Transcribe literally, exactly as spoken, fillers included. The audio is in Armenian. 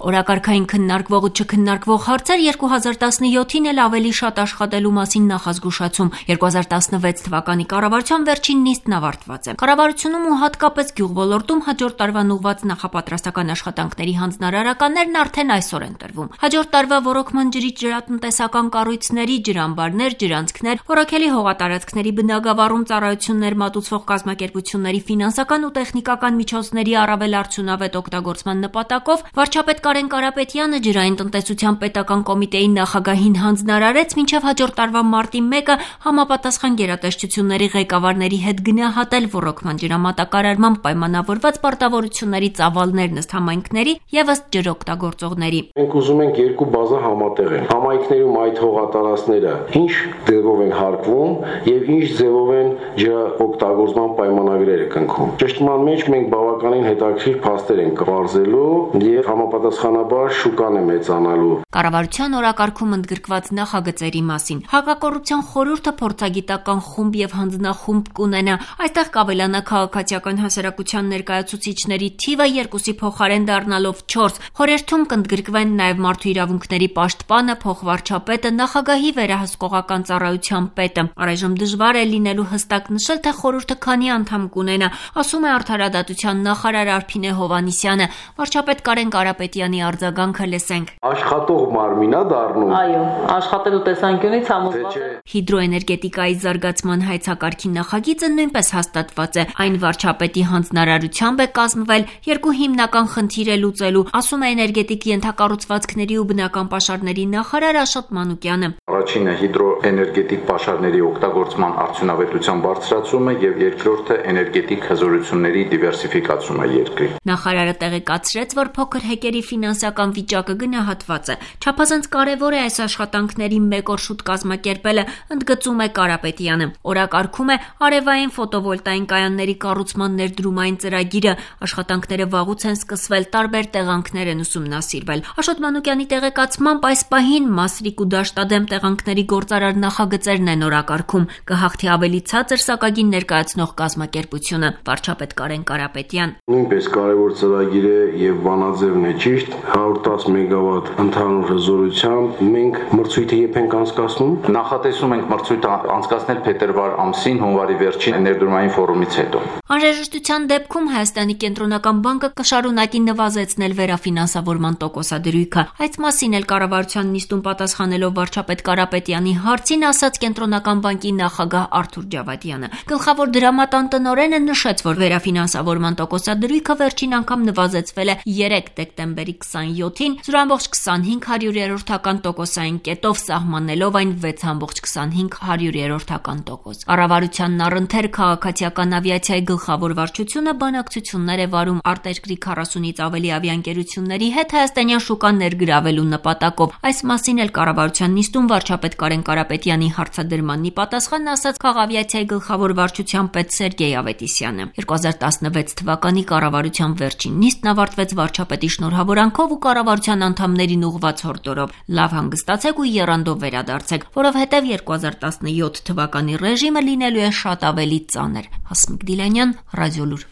Օրակարգային քննարկվող ու չքննարկվող հարցեր երկու հազար տասնյոթին էլ ավելի շատ աշխատելու մասին նախազգուշացում երկու հազար տասնվեց թվականի կառավարության վերջին նիստն ավարտված է։ Կառավարությունում ու հատկապես գյուղոլորտում հաջորդ տարվան ուղղված նախապատրաստական աշխատանքների հանձնարարականներն արդեն այսօր են տրվում։ Հաջորդ տարվա ոռոգման ջրից ջրատնտեսական կառույցների, ջրամբարներ, ջրանցքներ, որակելի հողատարածքների բնագավառում ծառայություններ մատուցող կազմակերպությունների ֆինանսական ու տեխնիկական միջոցների առավել արդյունավետ օգտագործման նպատակով վարչապետ Կարեն Կարապետյանը ջրային տնտեսության պետական կոմիտեի նախագահին հանձնարարեց մինչև հաջորդ տարվա մարտի մեկը համապատասխան գերատեսչությունների ղեկավարների հետ գնահատել ոռոգման ջրամատակարարման պայմանավորված պարտավորությունների ծավալներն ըստ համայնքների եւ ըստ ջրօգտագործողների։ Մենք ուզում ենք երկու բազա համատեղեն։ Համայնքներում այդ հողատարածքները ինչ ձևով են հարկվում եւ ինչ ձևով են ջրօգտագործման պայմանագրերը կնքում։ Ճշտման մեջ մենք բավականին հետաքրքիր փաստեր ենք կվարզելու եւ համապատասխանաբար շուկան է մեծանալու։ Կառավարության օրակարգում ընդգրկված նախագծերի մասին Հակակոռուպցիոն խորհուրդը փորձագիտական խումբ եւ հանձնախումբ կունենա։ Այստեղ կավելանա քաղաքացիական հասարակության ներկայացուցիչների թիվը երկուսի փոխարեն դառնալով չորս։ Խորհրդում կընդգրկվեն նաեւ մարդու իրավունքների պաշտպանը, փոխվարչապետը, նախագահի վերահսկողական ծառայության պետը։ Առայժմ դժվար է լինելու հստակ նշել, թե խորհուրդը քանի անդամ կունենա, ասում է Արդարադատության նախարար Արփինե Հովհաննիսյանը։ Վարչապետ Կարեն Կարապետյանի արձագանքը լսենք։ Աշխատող մարմինա դառնում։ Այո, աշխատելու տեսանկյունից համոզված է։ Հիդրոէներգետիկայի զարգացման հայեցակարգի նախագիծը նույնպես հաստատված է։ Այն վարչապետի հանձնարարությամբ է կազմվել երկու հիմնական խնդիր է լուծելու, ասում է էներգետիկ ենթակառուցվածքների ու բնական պաշարների նախարար Աշոտ Մանուկյանը։ Առաջինը հիդրոէներգետիկ պաշարների օգտագործման արդյունավետության բարձրացումը եւ երկրորդը էներգետիկ հզորությունների դիվերսիֆիկացումը երկրի։ Նախարարը տեղեկացրեց, որ փոքր հեկերի ֆինանսական վիճակը գնահատված է։ Չափազանց կարևոր է այս աշխատանքների մեկ օր շուտ կազմակերպելը, ընդգծում է Կարապետյանը։ Օրակարգում է արևային ֆոտովոլտային կայանների կառուցման ներդրումային ծրագիրը։ Աշխատանքները վաղուց են սկսվել, տարբեր տեղանքներ են ուսումնասիրվել։ Աշոտ Մանուկյանի տեղեկացմամբ այս պահին Մասրիկ ու Դաշտադեմ տեղանքների գործարար նախագծերն են օրակարգում։ Կհաղթի ավելի ցածր սակագին ներկայացնող կազմակերպությունը։ Վարչապետ Կարեն Կարապետյան։ Նույնպես կարևոր ծրագիր է եւ բանաձևն է ճիշտ հարյուր տասը մեգավատ ընդհանուր հզորությամբ մենք մրցույթը երբ ենք անցկացնում։ Նախատեսում ենք մրցույթը անցկացնել փետրվար ամսին հունվարի վերջին ներդրումային ֆորումից հետո։ Անհրաժեշտության դեպքում Հայաստանի կենտրոնական բանկը կշարունակի նվազեցնել վերաֆինանսավորման տոկոսադրույքը։ Այս մասին էլ կառավարության նիստում պատասխանելով վարչապետ Կարապետյանի հարցին ասաց կենտրոնական բանկի նախագահ Արթուր Ջավադյանը։ Գլխավոր դրամատան տնօրենը նշեց, որ վերաֆինանսավորման տոկոսադրույքը վերջին անգամ նվազեցվել է երեք դեկտեմբերի քսանյոթին զրո ամբողջ քսանհինգ հարյուրերորդական տոկոսային կետով սահմանելով այն վեց ամբողջ քսանհինգ հարյուրերորդական տոկոս։ Կառավարությանն առընթեր քաղաքացիական ավիացիայի գլխավոր վարչությունը բանակցություններ է վարում արտերկրի քառասունից ավելի ավիաընկերությունների հետ հայաստանյան շուկան ներգրավելու նպատակով։ Այս մասին էլ կառավարության նիստում վարչապետ Կարեն Կարապետյանի հարցադրմանն ի պատասխան ասաց քաղավիացիայի գլխավոր վարչության պետ Սերգեյ Ավետիսյանը։ երկու հազար տասնվեց թվականի կառավարության վերջին նիստն ավարտվեց վարչապետի շնորհավորանքով ու կառավարության անդամներին ուղղված հորդորով։ Լավ հանգստացեք ու եռանդով վերադարձեք, որովհետև երկու հազար տասնյոթ թվականի ռեժիմը լինելու է շատ ավելի ծանր։ Հասմիկ Դիլանյան, Ռադիոլուր։